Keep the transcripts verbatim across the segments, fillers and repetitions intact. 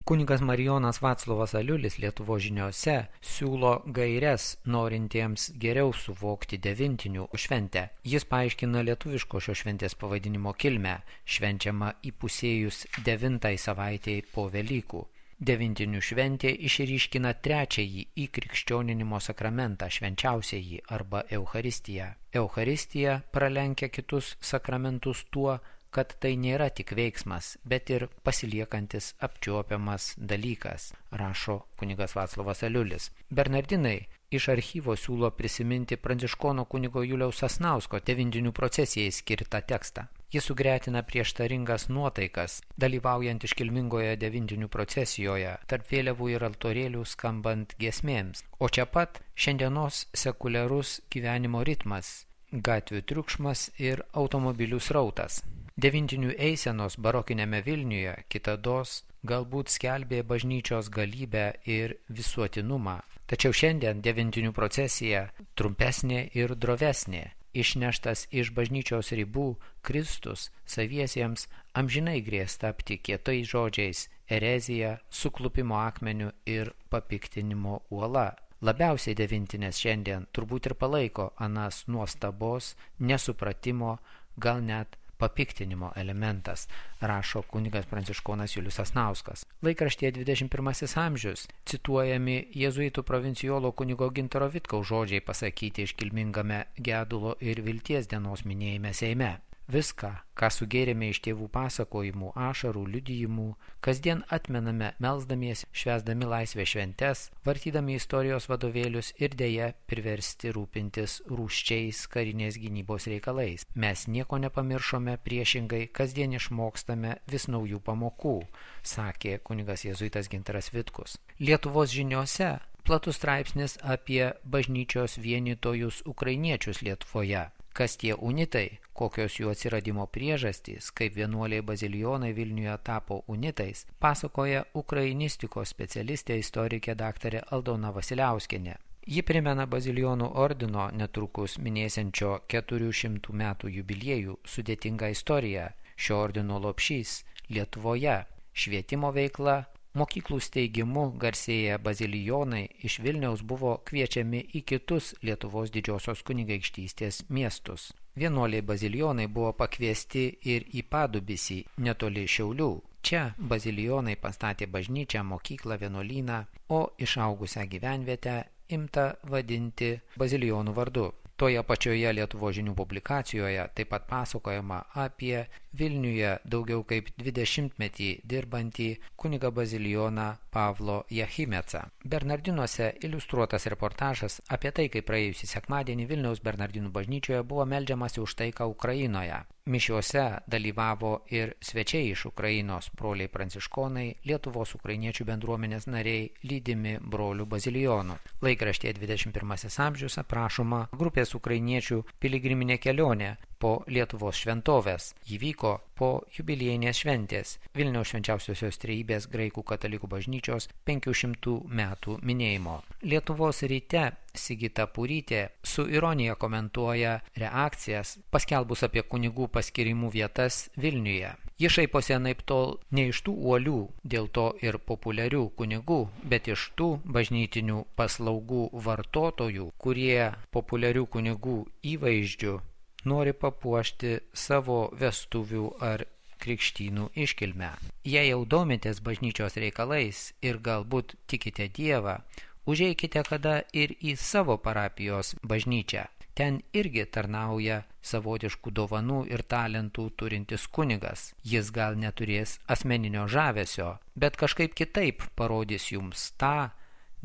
Kunigas Marijonas Vaclovas Aliulis Lietuvos žiniose siūlo gaires norintiems geriau suvokti devintinių šventę. Jis paaiškina lietuviško šios šventės pavadinimo kilmę, švenčiama įpusėjus devintai savaitei po Velykų. Devintinių šventė išryškina trečiąjį įkrikščioninimo sakramentą, švenčiausiąjį arba Eucharistiją. Eucharistija pralenkia kitus sakramentus tuo, kad tai nėra tik veiksmas, bet ir pasiliekantis apčiuopiamas dalykas, rašo kunigas Vaclovas Aliulis. Bernardinai iš archyvo siūlo prisiminti pranciškono kunigo Juliaus Sasnausko devintinių procesijai skirtą tekstą. Jis sugretina prieštaringas nuotaikas, dalyvaujant iškilmingoje devintinių procesijoje, tarp vėliavų ir altorėlių skambant giesmėms. O čia pat šiandienos sekuliarus gyvenimo ritmas, gatvių triukšmas ir automobilių srautas. Devintinių eisenos barokinėme Vilniuje kitados galbūt skelbė bažnyčios galybę ir visuotinumą. Tačiau šiandien devintinių procesija trumpesnė ir drovesnė. Išneštas iš bažnyčios ribų, Kristus saviesiems amžinai grės tapti kietais žodžiais, erezija, suklupimo akmeniu ir papiktinimo uola. Labiausiai devintinės šiandien turbūt ir palaiko anas nuostabos, nesupratimo, gal net papiktinimo elementas, rašo kunigas pranciškonas Julius Sasnauskas. Laikraštyje dvidešimt pirmasis amžius cituojami jėzuitų provincijolo kunigo Gintaro Vitkaus žodžiai pasakyti iškilmingame gedulo ir vilties dienos minėjime Seime. Viską, ką sugėrėme iš tėvų pasakojimų, ašarų, liudijimų, kasdien atmename melsdamiesi, švęsdami laisvės šventes, vartydami istorijos vadovėlius ir deja priversti rūpintis rūsčiais karinės gynybos reikalais. Mes nieko nepamiršome, priešingai kasdien išmokstame vis naujų pamokų, sakė kunigas jėzuitas Gintaras Vitkus. Lietuvos žiniose platus straipsnis apie bažnyčios vienytojus ukrainiečius Lietuvoje. Kas tie unitai, kokios jų atsiradimo priežastys, kaip vienuoliai bazilijonai Vilniuje tapo unitais, pasakoja ukrainistikos specialistė istorikė daktarė Aldona Vasiliauskienė. Ji primena bazilijonų ordino netrukus minėsiančio keturių šimtų metų jubiliejų sudėtingą istoriją. Šio ordino lopšys Lietuvoje, švietimo veikla, mokyklų steigimu garsėję bazilijonai iš Vilniaus buvo kviečiami į kitus Lietuvos didžiosios kunigaikštystės miestus. Vienuoliai bazilijonai buvo pakviesti ir į Padubysį, netoli Šiaulių. Čia bazilijonai pastatė bažnyčią, mokyklą, vienuolyną, o išaugusią gyvenvietę imta vadinti bazilijonų vardu. Toje pačioje Lietuvos žinių publikacijoje taip pat pasakojama apie Vilniuje daugiau kaip dvidešimtmetį dirbantį kunigą bazilijoną Pavlo Jachimecą. Bernardinuose iliustruotas reportažas apie tai, kaip praėjusį sekmadienį Vilniaus Bernardinų bažnyčioje buvo meldžiamasi už taiką Ukrainoje. Mišiuose dalyvavo ir svečiai iš Ukrainos, broliai pranciškonai, Lietuvos ukrainiečių bendruomenės nariai, lydimi brolių bazilijonų. Laikraštyje dvidešimt pirmasis amžius aprašoma grupės ukrainiečių piligriminė kelionė po Lietuvos šventovės. Ji vyko po jubiliejinės šventės Vilniaus švenčiausiosios trejybės graikų katalikų bažnyčios penkių šimtų metų minėjimo. Lietuvos ryte Sigita Purytė su ironija komentuoja reakcijas paskelbus apie kunigų paskirimų vietas Vilniuje. Ji šaiposi anaiptol ne iš tų uolių, dėl to ir populiarių kunigų, bet iš tų bažnytinių paslaugų vartotojų, kurie populiarių kunigų įvaizdžių nori papuošti savo vestuvių ar krikštynų iškilmę. Jei jau domitės bažnyčios reikalais ir galbūt tikite Dievą, užeikite kada ir į savo parapijos bažnyčią. Ten irgi tarnauja savotiškų dovanų ir talentų turintis kunigas. Jis gal neturės asmeninio žavesio, bet kažkaip kitaip parodys jums tą,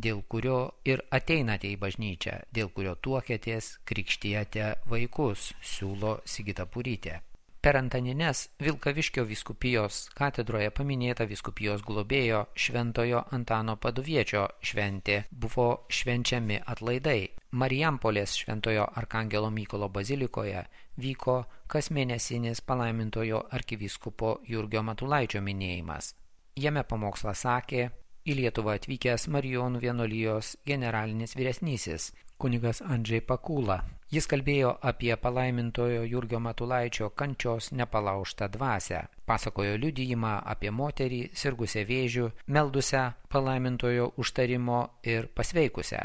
dėl kurio ir ateinate į bažnyčią, dėl kurio tuokėtės, krikštijate vaikus, siūlo Sigita Purytė. Per Antanines Vilkaviškio vyskupijos katedroje paminėta vyskupijos globėjo Šventojo Antano Paduviečio šventė buvo švenčiami atlaidai. Marijampolės Šventojo Arkangelo Mykolo bazilikoje vyko kasmėnesinis palaimintojo arkivyskupo Jurgio Matulaičio minėjimas. Jame pamokslą sakė į Lietuvą atvykęs Marijonų vienuolijos generalinis vyresnysis kunigas Andžej Pakula. Jis kalbėjo apie palaimintojo Jurgio Matulaičio kančios nepalaužtą dvasią. Pasakojo liudijimą apie moterį sirgusią vėžiu, meldusią palaimintojo užtarimo ir pasveikusią.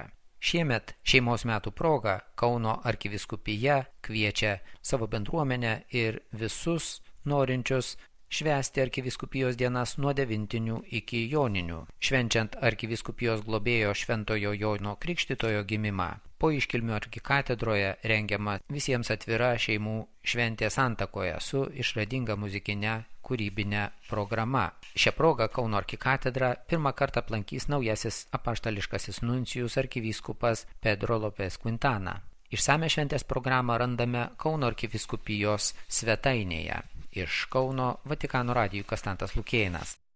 Šiemet šeimos metų proga Kauno arkivyskupija kviečia savo bendruomenę ir visus norinčius švęsti arkivyskupijos dienas nuo devintinių iki joninių, švenčiant arkivyskupijos globėjo Šventojo Jono Krikštytojo gimimą. Po iškilmių arkikatedroje rengiama visiems atvira šeimų šventė Santakoje su išradinga muzikinė kūrybinė programa. Šią progą Kauno arkikatedrą pirmą kartą aplankys naujasis apaštališkasis nuncijus arkivyskupas Pedro Lopez Quintana. Išsame šventės programą randame Kauno arkivyskupijos svetainėje. Iš Kauno Vatikano radijui Konstantas Lukėnas.